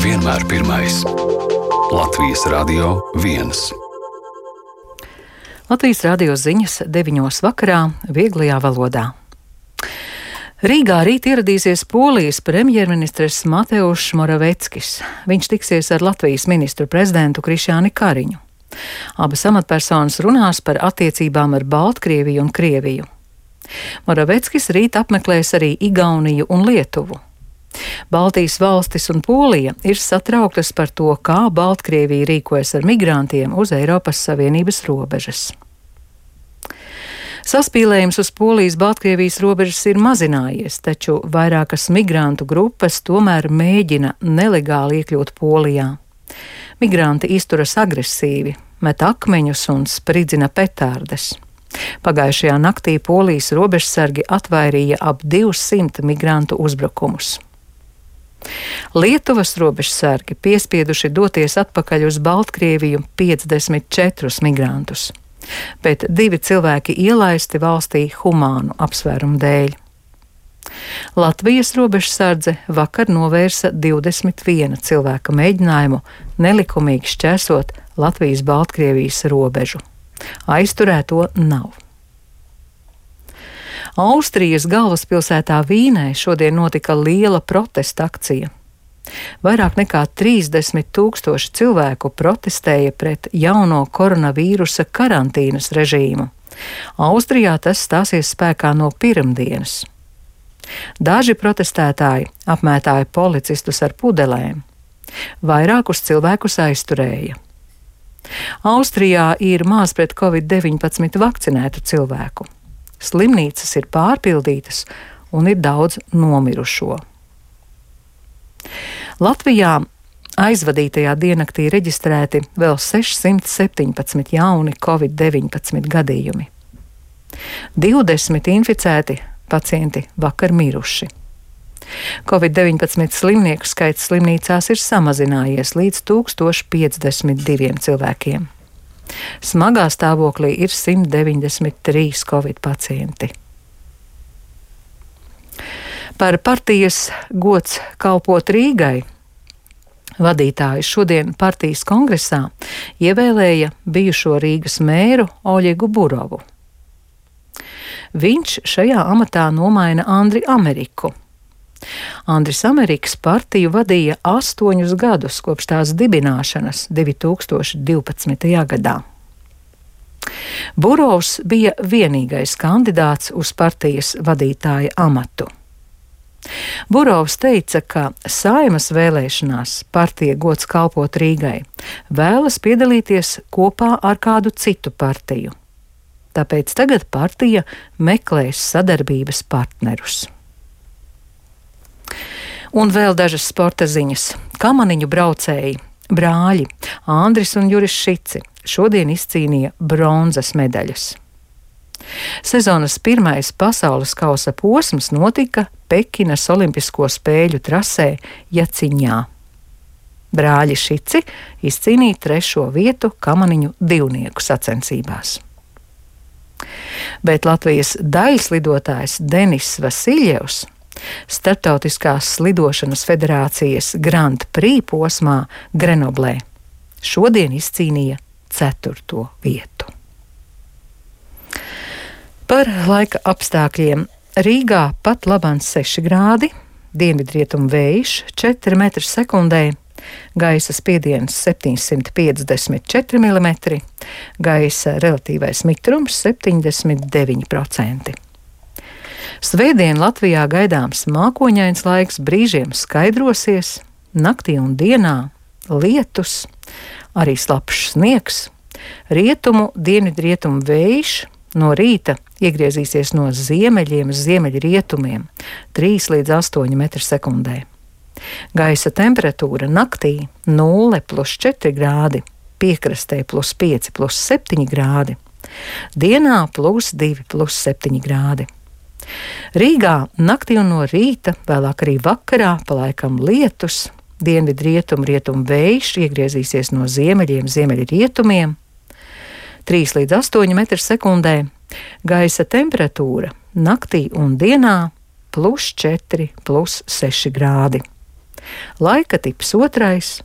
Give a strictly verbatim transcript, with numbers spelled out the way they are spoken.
vienmēr pirmais. Latvijas Radio viens. Latvijas radio ziņas deviņos vakarā vieglajā valodā. Rīgā rīt ieradīsies Polijas premjerministrs Mateušs Moraveckis. Viņš tiksies ar Latvijas ministru prezidentu Krišjāni Kariņu. Abas amatpersonas runās par attiecībām ar Baltkrieviju un Krieviju. Moraveckis rīt apmeklēs arī Igauniju un Lietuvu. Baltijas valstis un Polija ir satrauktas par to, kā Baltkrievija rīkojas ar migrantiem uz Eiropas Savienības robežas. Saspīlējums uz Polijas-Baltkrievijas robežas ir mazinājies, taču vairākas migrantu grupas tomēr mēģina nelegāli iekļūt Polijā. Migranti izturas agresīvi, met akmeņus un spridzina petārdes. Pagājušajā naktī Polijas robežsargi atvairīja ap divsimt migrantu uzbrukumus. Lietuvas robežsargi piespieduši doties atpakaļ uz Baltkrieviju piecdesmit četrus migrantus, bet divi cilvēki ielaisti valstī humānu apsvērumu dēļ. Latvijas robežsardze vakar novērsa divdesmit viena cilvēka mēģinājumu nelikumīgi šķērsot Latvijas-Baltkrievijas robežu. Aizturēto nav. Austrijas galvaspilsētā Vīnē šodien notika liela protesta akcija. Vairāk nekā trīsdesmit tūkstoši cilvēku protestēja pret jauno koronavīrusa karantīnas režīmu. Austrijā tas stāsies spēkā no pirmdienas. Daži protestētāji apmētāja policistus ar pudelēm. Vairākus cilvēkus aizturēja. Austrijā ir maz pret covid deviņpadsmit vakcinētu cilvēku. Slimnīcas ir pārpildītas un ir daudz nomirušo. Latvijā aizvadītajā diennaktī reģistrēti vēl sešsimt septiņpadsmit jauni covid deviņpadsmit gadījumi. divdesmit inficēti pacienti vakar miruši. covid deviņpadsmit slimnieku skaits slimnīcās ir samazinājies līdz tūkstoš piecdesmit diviem cilvēkiem. Smagā stāvoklī ir simt deviņdesmit trīs covid pacienti. Par partijas gods kalpot Rīgai vadītāju šodien partijas kongresā ievēlēja bijušo Rīgas mēru Oļegu Burovu. Viņš šajā amatā nomaina Andri Ameriku. Andris Ameriks partiju vadīja astoņus gadus kopš tās dibināšanas divi tūkstoši divpadsmitajā gadā. Burovs bija vienīgais kandidāts uz partijas vadītāja amatu. Burovs teica, ka Saeimas vēlēšanās partija gods kalpot Rīgai vēlas piedalīties kopā ar kādu citu partiju. Tāpēc tagad partija meklēs sadarbības partnerus. Un vēl dažas sporta ziņas. Kamaniņu braucēji, brāļi Andris un Juris Šici šodien izcīnīja bronzas medaļas. Sezonas pirmais pasaules kausa posms notika Pekinas Olimpisko spēļu trasē Jaciņā. Brāļi Šici izcīnīja trešo vietu kamaniņu divnieku sacensībās. Bet Latvijas daļslidotājs Denis Vasiljevs Startautiskās slidošanas federācijas Grand Prix posmā Grenoblē šodien izcīnīja ceturto vietu. Par laika apstākļiem. Rīgā pat labāk seši grādi, dienvidrietumu vējš četri metri sekundē, gaisa spiediens septiņsimt piecdesmit četri milimetri, gaisa relatīvais mitrums septiņdesmit deviņi procenti. Svētdien Latvijā gaidāms mākoņains laiks, brīžiem skaidrosies, naktī un dienā lietus, arī slapjš sniegs, rietumu, dienvidrietumu vējš no rīta iegriezīsies no ziemeļiem uz ziemeļrietumiem, trīs līdz astoņi metri sekundē. Gaisa temperatūra naktī nulle plus četri grādi, piekrastē plus pieci plus septiņi grādi, dienā plus divi plus septiņi grādi. Rīgā naktī un no rīta, vēlāk arī vakarā, palaikam lietus, dienvidrietumu rietumu vējš iegriezīsies no ziemeļiem ziemeļrietumiem, trīs līdz astoņi metri sekundē, gaisa temperatūra naktī un dienā plus četri plus seši grādi. Laika tips otrais